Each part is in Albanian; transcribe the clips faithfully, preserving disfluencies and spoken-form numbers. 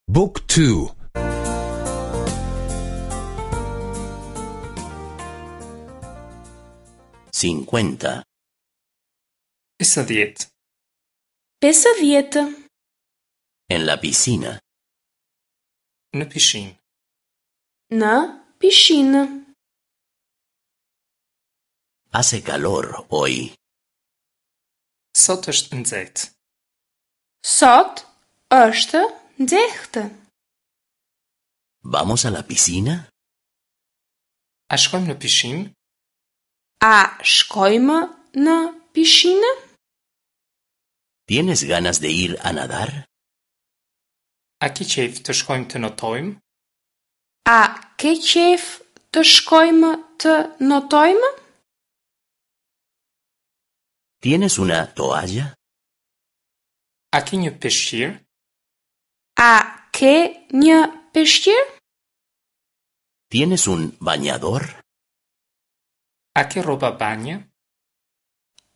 Book two. Cincuenta. Pesëdhjetë. Pesëdhjetë. En la piscina. Në pishinë. Në pishinë. Hace calor hoy. Sot është nxehtë. Sot është nxehtë. Vamos a la piscina? A shkojmë në pishinë? A shkojmë në pishinë? Tienes ganas de ir a nadar? A ke qejf të shkojmë të notojmë? A ke qejf të shkojmë të notojmë? Tienes una toalla? A ke një peshqir? A ke një peshqir? Tienes un bañador? A ke rroba banje?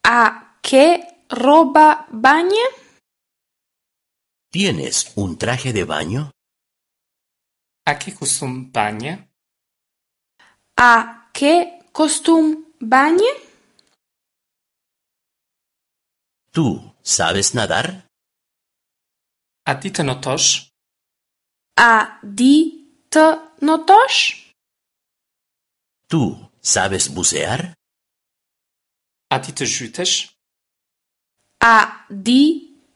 A ke rroba banje? Tienes un traje de baño? A ke kostum banje? A ke kostum banje? Tú sabes nadar? A di të notosh? A di të notosh? Tú sabes bucear? A di të zhytesh? A di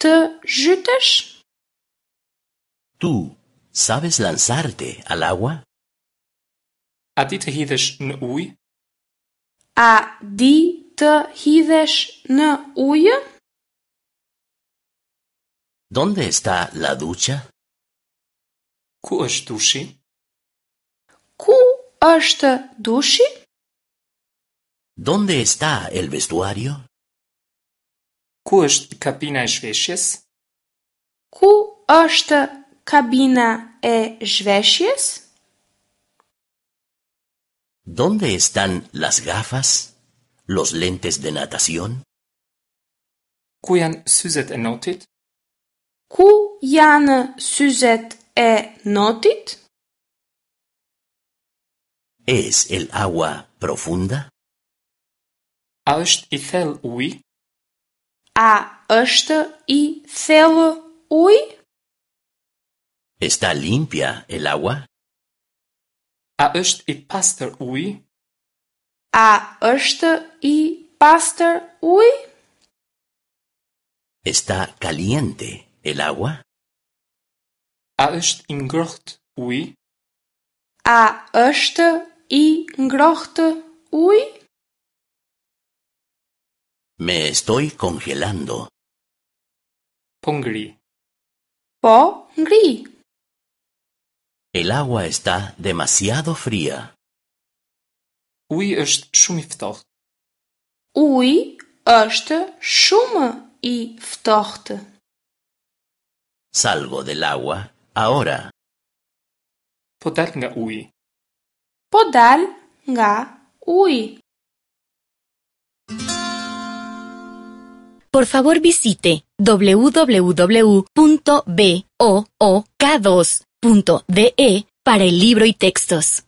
të zhytesh? Tú sabes lanzarte al agua? A di të hidhesh në ujë? A di të hidhesh në ujë? Dónde está la ducha? Ku është dushi? Ku është dushi? Dónde está el vestuario? Ku është kabina e zhveshjes? Ku është kabina e zhveshjes? Dónde están las gafas? Los lentes de natación? Ku janë syzet e notit? Ku janë syzet e notit? Es el agua profunda? A është i thellë uji? A është i thellë uji? Está limpia el agua? A është i pastër uji? A është i pastër uji? Está caliente el agua? A është i ngrohtë uji? A është i ngrohtë uji? Me estoy congelando. Po ngri. Po ngri. El agua está demasiado fría. Uji është shumë i ftohtë. Uji është shumë i ftohtë. Salgo del agua ahora. Po dal nga uji. Po dal nga uji. Por favor visite w w w punto b o o k dos punto d e para el libro y textos.